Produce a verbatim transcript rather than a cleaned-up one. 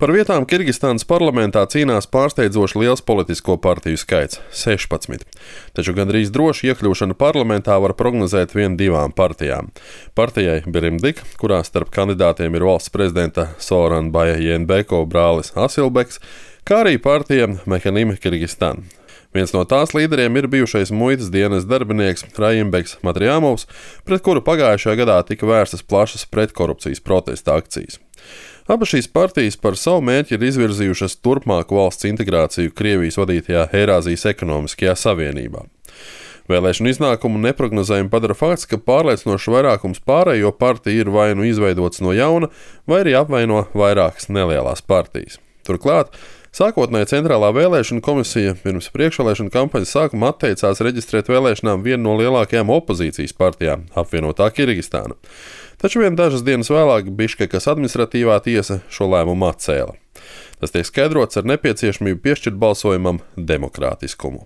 Par vietām Kirgistānas parlamentā cīnās pārsteidzoši liels politisko partiju skaits - sešpadsmit. Taču gandrīz droši iekļūšanu parlamentā var prognozēt vien divām partijām. Partijai Birimdik, kurā starp kandidātiem ir valsts prezidenta Sooronbaja Jeenbekova brālis Asilbeks, kā arī partija Mehanim Kirgistan. Viens no tās līderiem ir bijušais muitas dienas darbinieks Rajimbeks Matriamovs, pret kuru pagājušajā gadā tika vērstas plašas pretkorupcijas protesta akcijas. Abas šīs partijas par savu mērķi ir izvirzījušas turpmāku valsts integrāciju Krievijas vadītajā Eirāzijas ekonomiskajā savienībā. Vēlēšanu iznākumu neprognozējami padara fakts, ka pārliecinošs vairākums pārējo partiju ir vai nu izveidots no jauna, vai arī apvaino vairākas nelielās partijas. Turklāt, sākotnēji Centrālā vēlēšana komisija pirms priekšvēlēšana kampaņas sākuma atteicās reģistrēt vēlēšanām vienu no lielākajām opozīcijas partijām - apvienotā Kirgistāna. Taču vien dažas dienas vēlāk Biškekas administratīvā tiesa šo lēmumu atcēla. Tas tiek skaidrots ar nepieciešamību piešķirt balsojumam demokrātiskumu.